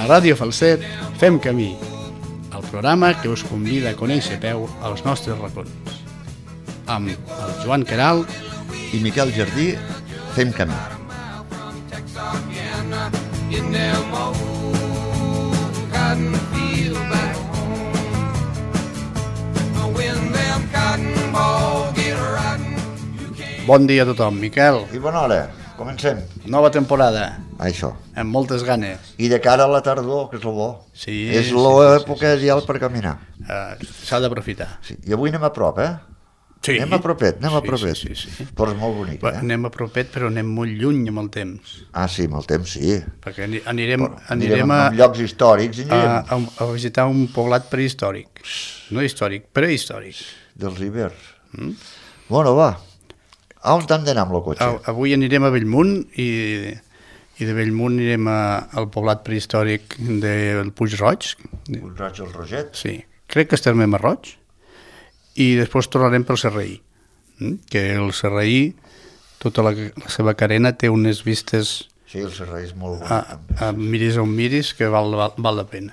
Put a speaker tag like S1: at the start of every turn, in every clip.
S1: A Ràdio Falset fem camí, el programa que us convida a conèixer a peu els nostres racons. Amb el Joan Queralt
S2: i Miquel Jardí fem camí.
S1: Bon dia a tothom, Miquel.
S2: I bona hora, comencem.
S1: Nova temporada,
S2: Això.
S1: amb moltes ganes.
S2: I de cara a la tardor, que és el bo.
S1: Sí,
S2: és
S1: sí,
S2: l'època ideal per caminar.
S1: S'ha d'aprofitar.
S2: Sí. I avui anem a prop,
S1: Sí.
S2: Anem a propet.
S1: Sí.
S2: Però és molt bonic,
S1: Anem a propet, però anem molt lluny amb el temps.
S2: Ah, sí, amb el temps, sí.
S1: Perquè anirem
S2: a llocs històrics i anirem.
S1: A visitar un poblat prehistòric. No històric, prehistòric.
S2: Dels Ibers. Bueno, va. A on t'han d'anar amb el cotxe?
S1: Avui anirem a Bellmunt i de Bellmunt anirem al poblat prehistòric del Puig Roig.
S2: Puig Roig el Roget?
S1: Sí, crec que estem a Roig. I després tornarem pel Serraí, que el Serraí, tota la seva carena té unes vistes...
S2: Sí, el Serraí és molt bonic.
S1: Miris on miris, que val la pena.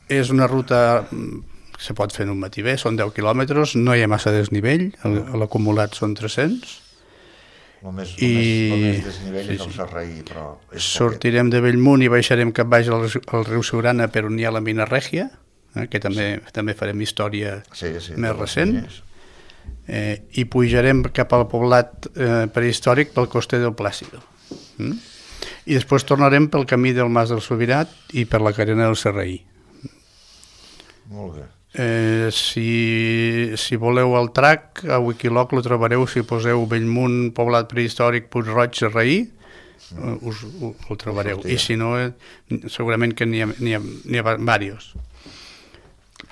S1: És una ruta que se pot fer en un matí bé, són 10 quilòmetres, no hi ha massa desnivell, l'acumulat són 300.
S2: El més desnivell és el Serraí, però...
S1: Sortirem de Bellmunt i baixarem cap baix al riu Siurana, per on hi ha la mina Règia, que també farem història més recent, i pujarem cap al poblat prehistòric pel coster del Plàcido. I després tornarem pel camí del Mas del Sobirat i per la carena del Serraí.
S2: Molt bé.
S1: Si voleu el track, a Wikiloc lo trobareu, si poseu Bellmunt, poblat prehistòric, Puig Roig, Serraí, ho trobareu. I si no, segurament que n'hi ha diversos.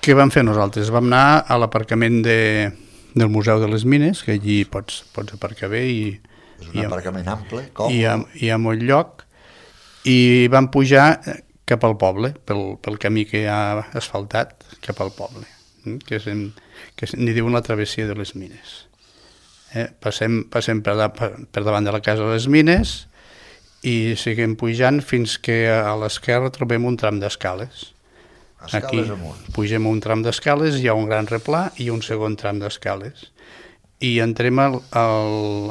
S1: Què vam fer nosaltres? Vam anar a l'aparcament del Museu de les Mines, que allí pots aparcar bé.
S2: És un aparcament ample,
S1: còmode. Hi ha molt lloc, i vam pujar cap al poble, pel camí que hi ha asfaltat, cap al poble, que n'hi diuen la travessia de les Mines. Passem per davant de la casa de les Mines i seguim pujant fins que a l'esquerra trobem un tram d'escales. Aquí pugem un tram d'escales, hi ha un gran replà i un segon tram d'escales. I entrem a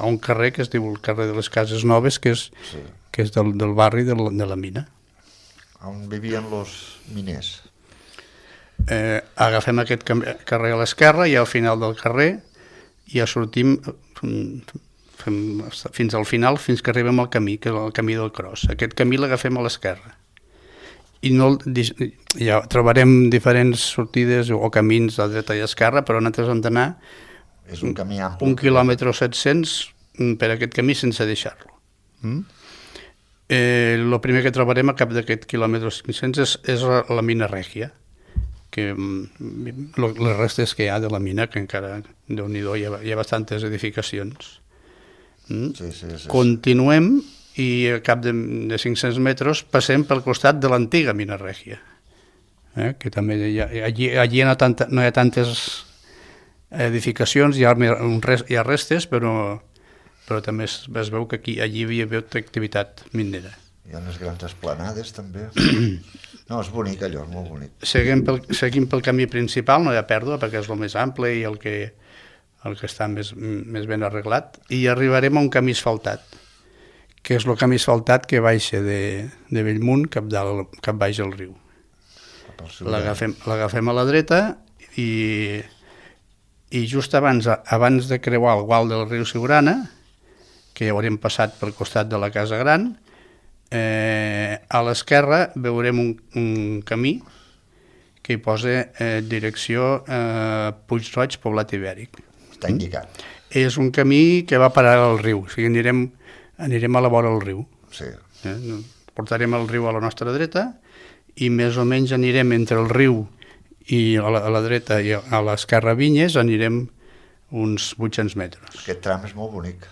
S1: un carrer que es diu el carrer de les Cases Noves, que és del barri de la mina.
S2: On vivien els miners.
S1: Agafem aquest carrer a l'esquerra i al final del carrer ja sortim fins al final, fins que arribem al camí, que és el camí del Cros. Aquest camí l'agafem a l'esquerra. I ja trobarem diferents sortides o camins a dreta i a esquerra, però nosaltres hem d'anar
S2: un camí ample,
S1: 1 quilòmetre o 700 per aquest camí sense deixar-lo. El primer que trobarem a cap d'aquest quilòmetre 500 és la mina Règia, que les restes que hi ha de la mina, que encara, Déu-n'hi-do, hi ha bastantes edificacions. Continuem i a cap de 500 metres passem pel costat de l'antiga mina Règia, que també allí no hi ha tantes edificacions, hi ha restes, però també es veu que allí hi havia activitat minera.
S2: Hi ha unes grans esplanades també. No, és bonic allò, és molt bonic.
S1: Seguim pel camí principal, no hi ha pèrdua perquè és el més ample i el que està més ben arreglat, i arribarem a un camí asfaltat, que és el camí asfaltat que baixa de Bellmunt cap baix al riu. L'agafem a la dreta i just abans de creuar el gual del riu Siurana, que ja haurem passat pel costat de la Casa Gran, a l'esquerra veurem un camí que hi posa direcció Puig Roig, poblat ibèric.
S2: Està indicat.
S1: És un camí que va parar al riu, o sigui, anirem a la vora del riu.
S2: Sí.
S1: Portarem el riu a la nostra dreta i més o menys anirem entre el riu i a la dreta i a l'esquerra Vinyes, anirem uns 800 metres.
S2: Aquest tram és molt bonic.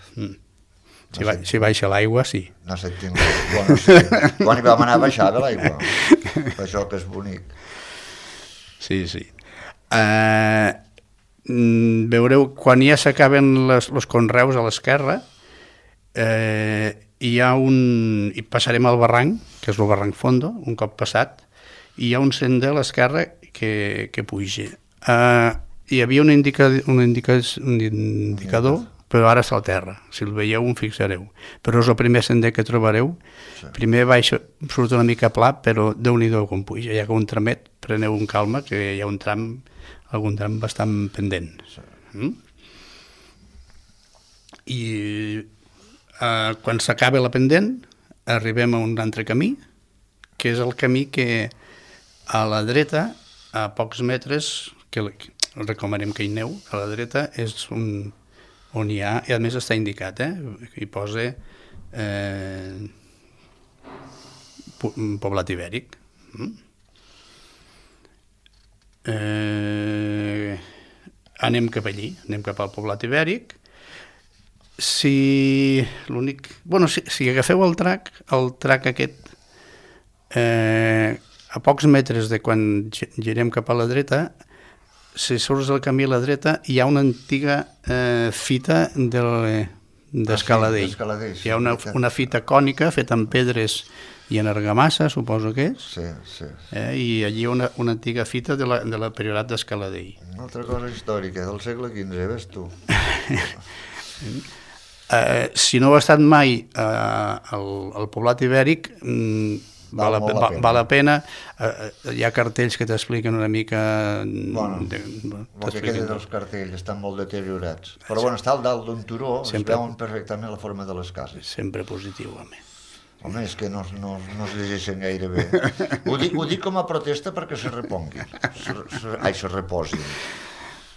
S1: Si baixa l'aigua, sí.
S2: No sentim l'aigua. Bueno, sí. Quan hi vam anar a baixar de l'aigua. Per això que és bonic.
S1: Sí. Veureu, quan ja s'acaben els conreus a l'esquerra, hi passarem al barranc, que és el barranc Fondo, un cop passat, i hi ha un sender a l'esquerra que puja. Hi havia un indicador, però ara està al terra. Si el veieu, em fixareu. Però és el primer sender que trobareu. Sí. Primer surt una mica pla, però Déu-n'hi-do com puja. Hi ha un tramet, preneu un calma, que hi ha algun tram bastant pendent. Sí. I quan s'acaba la pendent arribem a un altre camí, que és el camí que a la dreta, a pocs metres, que recomanem que hi aneu, a la dreta és on hi ha, i a més està indicat, hi posa poblat ibèric. Anem cap allí, anem cap al poblat ibèric. Si agafeu el trac aquest, a pocs metres de quan girem cap a la dreta, si surts del camí a la dreta, hi ha una antiga fita d'escaladell. Hi ha una fita cònica feta amb pedres i en argamassa, suposo que és.
S2: Sí.
S1: I allí una antiga fita de la priorat d'Escaladell.
S2: Una altra cosa històrica del segle XV, ves tu.
S1: Si no heu estat mai al poblat ibèric, val la pena. Hi ha cartells que t'expliquen una mica...
S2: El que queda dels cartells estan molt deteriorats. Però està al dalt d'un turó, es veuen perfectament la forma de les cases.
S1: Sempre positiu, home.
S2: Home, és que no es llegeixen gaire bé. Ho dic com a protesta perquè se reponguin. Se reposin.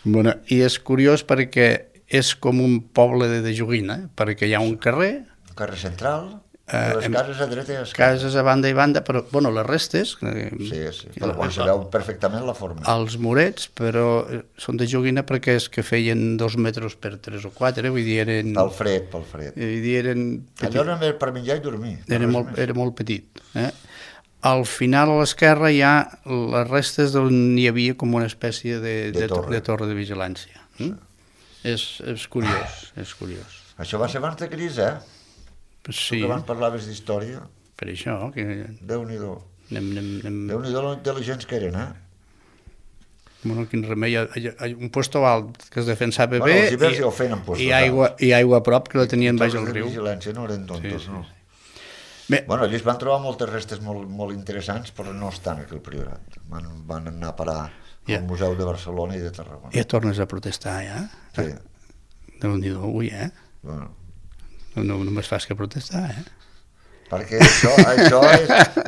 S1: I és curiós perquè és com un poble de joguina, perquè hi ha un carrer...
S2: Un carrer central, les cases a dreta i a esquerra.
S1: Cases a banda i banda, però, les restes...
S2: Sí, però se veu perfectament la forma.
S1: Els murets, però són de joguina perquè és que feien 2 metres per 3 o 4, vull dir, eren...
S2: Pel fred.
S1: Vull dir, eren...
S2: Allò era per menjar i dormir.
S1: Era molt petit. Al final, a l'esquerra, hi ha les restes on hi havia com una espècie de torre de vigilància. És curiós,
S2: Això va ser abans de Cris,
S1: Sí.
S2: Que abans parlaves d'història.
S1: Per això, que...
S2: Déu-n'hi-do. Déu-n'hi-do la intel·ligents que eren,
S1: quin remei. Hi ha un puesto alt que es defensava bé
S2: els hiverns ja ho feien en puestos
S1: i aigua a prop que la tenien baix al riu.
S2: I vigilància no eren tontos, no?
S1: Bé.
S2: Allí es van trobar moltes restes molt interessants, però no estan aquí al Priorat. Van anar a parar al Museu de Barcelona i de Tarragona.
S1: Ja tornes a protestar, ja?
S2: Sí.
S1: Déu-n'hi-do, avui, No només fas que protestar,
S2: Perquè això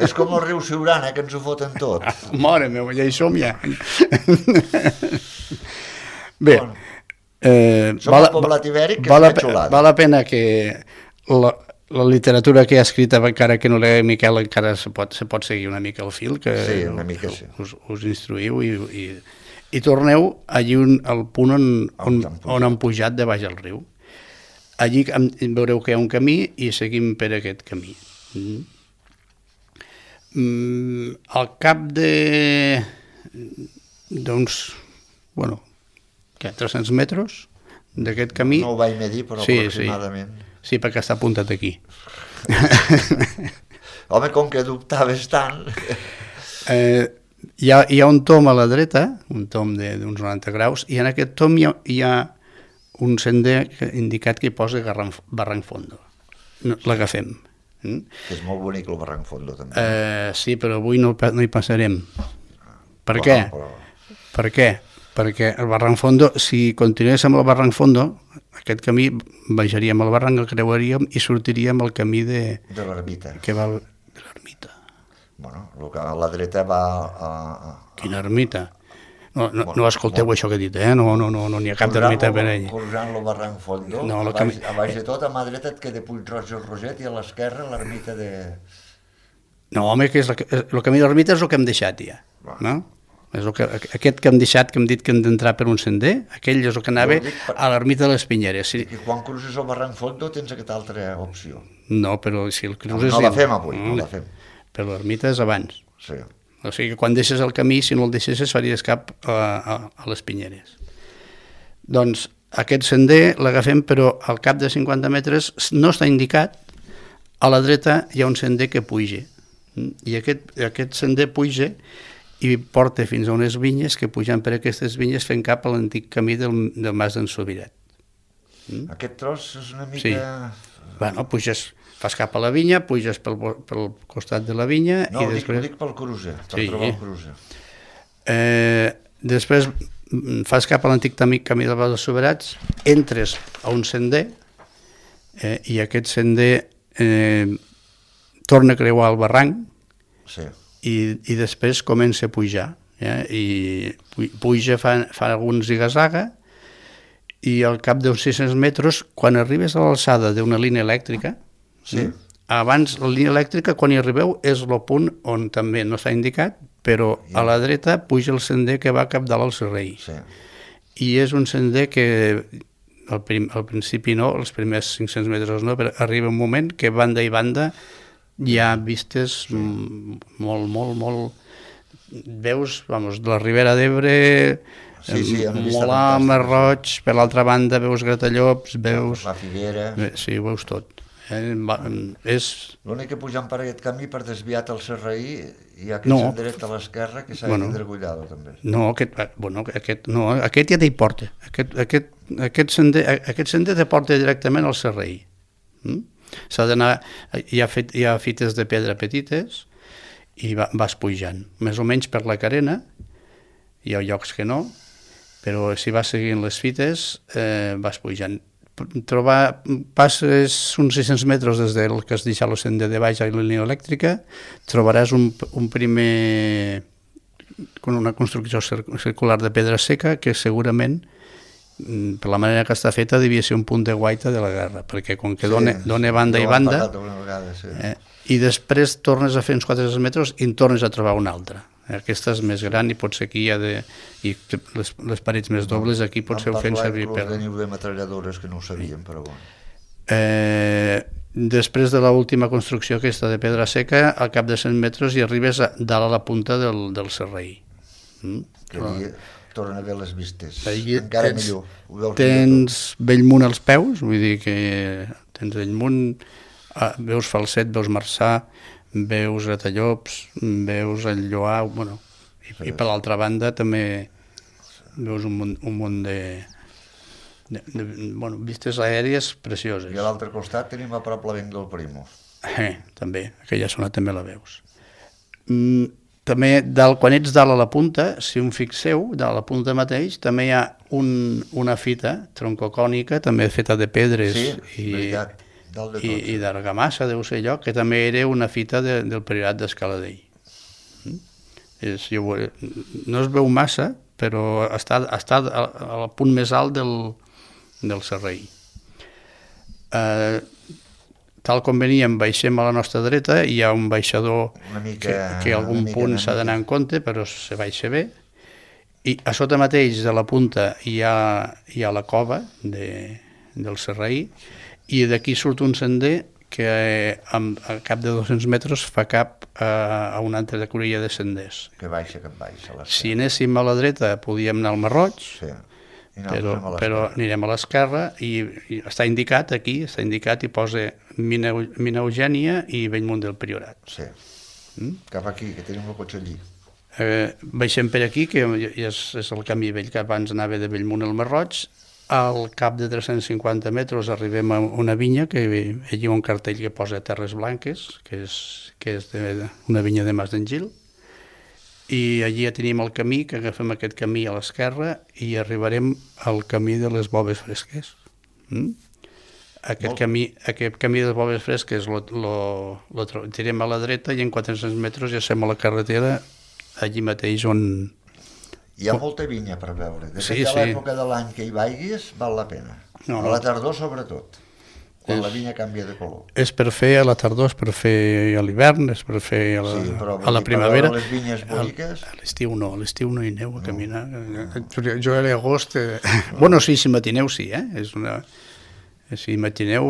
S2: és com el riu Siurana, que ens ho foten tot.
S1: Mare meva, ja hi som, ja. Bé,
S2: som el poblat ibèric, que és una xulada.
S1: Val la pena que la literatura que hi ha escrita, encara que no l'he Miquel, encara se pot seguir una mica el fil, que
S2: sí, una mica sí.
S1: Us instruïu i torneu allí al punt on han pujat de baix al riu. Allí veureu que hi ha un camí i seguim per aquest camí. Al cap d'uns 300 metres d'aquest camí...
S2: No ho vaig medir, però aproximadament.
S1: Sí, perquè està apuntat aquí.
S2: Home, com que dubtaves tant...
S1: Hi ha un tom a la dreta, un tom d'uns 90 graus, i en aquest tom hi ha un sender indicat que hi posa Barranc Fondo. L'agafem.
S2: És molt bonic el Barranc Fondo, també.
S1: Sí, però avui no hi passarem. Per què? Per què? Perquè el Barranc Fondo, si continuéssim al Barranc Fondo, aquest camí baixaríem al barranc, el creuaríem i sortiríem al camí de
S2: l'ermita.
S1: Que va de l'ermita.
S2: A la dreta va a...
S1: Quina ermita? No escolteu això que he dit, no n'hi ha cap d'ermita per allà.
S2: Pujant el Barranc Fondo, a baix de tot, a mà dreta et queda Puig-roig i el Roset, i a l'esquerra l'ermita de...
S1: No, home, que el camí de l'ermita és el que hem deixat ja, no? Aquest que hem deixat, que hem dit que hem d'entrar per un sender, aquell és el que anava a l'ermita de les Pinyeres.
S2: I quan cruces el Barranc Fondo tens aquesta altra opció.
S1: No, però si el cruces...
S2: No la fem avui, no la fem.
S1: Però l'ermita és abans.
S2: Sí.
S1: O sigui que quan deixes el camí, si no el deixessis, faries cap a les Pinyeres. Doncs aquest sender l'agafem, però al cap de 50 metres no està indicat, a la dreta hi ha un sender que puja, i aquest sender puja i porta fins a unes vinyes que pujant per aquestes vinyes fent cap a l'antic camí del Mas d'en Sobiret.
S2: Aquest tros és una mica...
S1: Sí. Bueno, puges, fas cap a la vinya, puges pel costat de la vinya...
S2: No,
S1: i després...
S2: dic pel cruce, per trobar el cruce.
S1: Després fas cap a l'antic camí del Mas dels Soberats, entres a un sender i aquest sender torna a creuar el barranc i després comença a pujar. I puja, fa alguns zigazaga i al cap d'uns 600 metres, quan arribes a l'alçada d'una línia elèctrica, abans la línia elèctrica, quan hi arribeu, és el punt on també no s'ha indicat, però a la dreta puja el sender que va cap dalt al Serrell. I és un sender que al principi no, els primers 500 metres no, però arriba un moment que banda i banda hi ha vistes molt... Veus, de la Ribera d'Ebre, Molar, Masroig, per l'altra banda veus Gratallops, veus...
S2: La Figuera...
S1: Sí, ho veus tot.
S2: L'únic que pujant per aquest camí, per desviat al Serraí, hi ha aquest senderet a l'esquerra que s'ha d'Indragullado, també.
S1: No, aquest ja t'hi porta. Aquest sender te porta directament al Serraí. S'ha d'anar... Hi ha fites de pedra petites i vas pujant. Més o menys per la carena, hi ha llocs que no, però si vas seguint les fites vas pujant. Passes uns 600 metres des del que has deixat el sender de baix a la línia elèctrica, trobaràs un primer una construcció circular de pedra seca que segurament, per la manera que està feta, devia ser un punt de guaita de la guerra, perquè com que dona banda i banda, i després tornes a fer uns 400 metres i en tornes a trobar una altra. Aquesta és més gran i potser aquí hi ha les parets més dobles, aquí potser ho fem servir per...
S2: Vam parlar inclús de niu de metralladores que no ho sabíem, però bueno.
S1: Després de l'última construcció aquesta de pedra seca, al cap de 100 metres hi arribes dalt a la punta del Serraí.
S2: Que allí tornen a veure les vistes, encara millor.
S1: Tens Bellmunt als peus, vull dir que tens Bellmunt, veus Falset, veus Marçà, veus Gratallops, veus el Lloar, i per l'altra banda també veus un munt de vistes aèries precioses.
S2: I a l'altre costat tenim a prop la Venc del Primo.
S1: També, aquella zona també la veus. També, quan ets dalt a la punta, si un fixeu, dalt a la punta mateix, també hi ha una fita troncocònica, també feta de pedres i d'argamassa, deu ser allò, que també era una fita del Priorat d'Escaladell. No es veu massa, però està al punt més alt del Serrell. Tal com veníem, baixem a la nostra dreta, hi ha un baixador que a algun punt s'ha d'anar en compte, però se baixa bé, i a sota mateix de la punta hi ha la cova del Serrell, i d'aquí surt un sender que a cap de 200 metres fa cap a una altra cruïlla de senders.
S2: Que baixa.
S1: Si anéssim a la dreta podíem anar al Masroig, però anirem a l'esquerra i està indicat aquí, i posa Mina Eugènia i Bellmunt del Priorat.
S2: Sí, cap aquí, que tenim el cotxe allí.
S1: Baixem per aquí, que és el camí vell que abans anava de Bellmunt al Masroig. Al cap de 350 metres arribem a una vinya, que allí hi ha un cartell que posa Terres Blanques, que és una vinya de Mas d'en Gil, i allí ja tenim el camí, que agafem aquest camí a l'esquerra i arribarem al camí de les Boves Fresques. Aquest camí de les Boves Fresques lo tirem a la dreta i en 400 metres ja som a la carretera, allí mateix on...
S2: Hi ha molta vinya per veure. Depèn de l'època de l'any que hi vaiguis, val la pena. A la tardor, sobretot, quan la vinya canvia de color.
S1: És per fer a la tardor, és per fer a l'hivern, és per fer a la primavera.
S2: Per les vinyes boniques...
S1: A l'estiu no hi neu a caminar. Jo a l'agost... Bueno, sí, si matineu sí, Si matineu...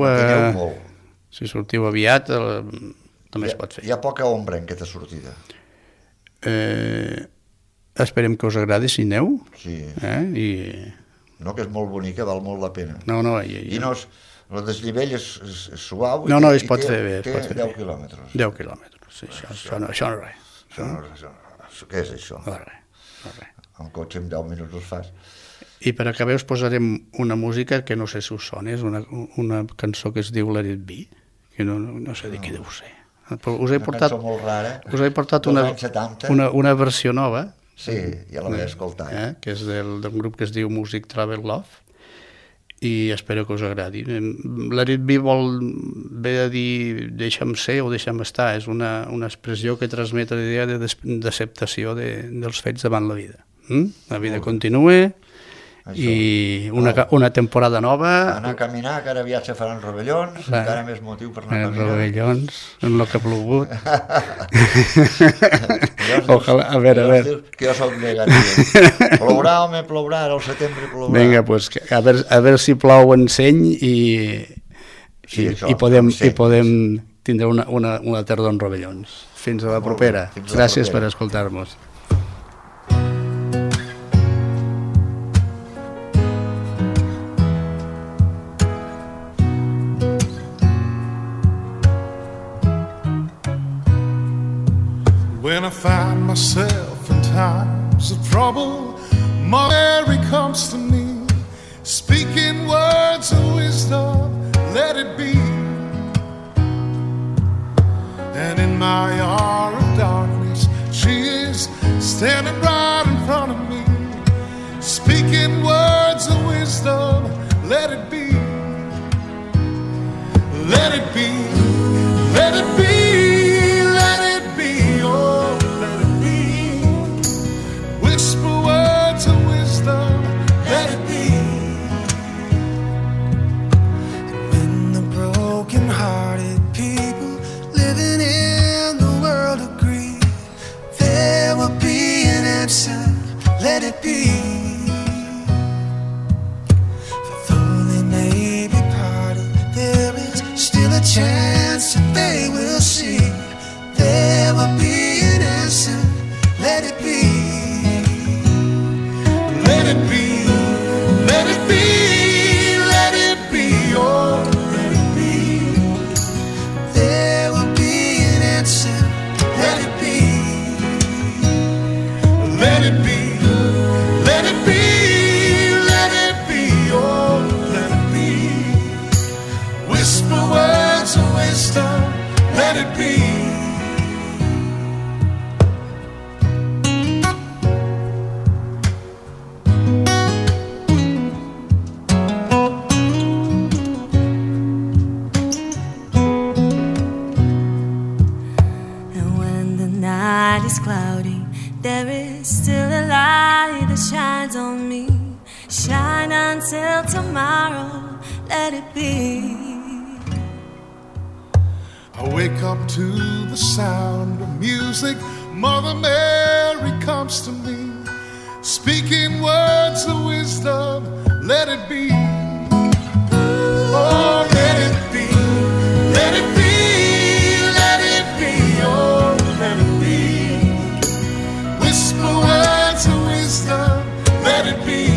S1: Si sortiu aviat, també es pot fer.
S2: Hi ha poca ombra en aquesta sortida.
S1: Esperem que us agradi si neu.
S2: Sí. No, que és molt bonica, val molt la pena.
S1: No.
S2: I El desnivell és suau
S1: no, es pot fer bé.
S2: Té 10 quilòmetres.
S1: 10 quilòmetres, sí, això no és res.
S2: Què és això?
S1: No res.
S2: El cotxe en 10 minuts us fas.
S1: I per acabar us posarem una música que no sé si us sona, és una cançó que es diu Let It Be, que no sé de qui deu ser. Però us he portat,
S2: una cançó molt rara,
S1: us he portat una versió nova.
S2: Sí, ja la vaig escoltar.
S1: Que és d'un grup que es diu Music Travel Love, i espero que us agradi. Let It Be ve a dir deixa'm ser o deixa'm estar, és una expressió que transmet la idea d'acceptació dels fets davant la vida. La vida continua i una temporada nova.
S2: Anar a caminar, que ara aviat se faran rovellons, encara més motiu per anar a caminar.
S1: Rovellons, en el que ha plogut. Ojalà, a veure.
S2: Que jo soc negatiu. Plourà, home, plourà, ara al setembre plourà.
S1: Vinga, doncs, a veure si plou en seny i podem tindre una tardor en rovellons. Fins a la propera. Gràcies per escoltar-nos.
S3: When I find myself in times of trouble, Mary comes to me, speaking words of wisdom, let it be. And in my hour of darkness, she is standing right in front of me, speaking words of wisdom, let it be. Let it be, let it be.
S4: Let it be. For though they may be parted, there is still a chance that they will see. There will be an answer. Let it be. Let it be. Let it be. Let it be. Oh, let it be. There will be an answer. Let it be. Let it be. Let it be, let it be, oh, let it be. Whisper words of wisdom, let it be. And when the night is cloudy, there is still a light that shines on me. Shine until tomorrow, let it be.
S3: I wake up to the sound of music. Mother Mary comes to me, speaking words of wisdom, let it be. Oh, let it be. Let it be. Let it be. Oh, let it be. Whisper words of wisdom, let it be.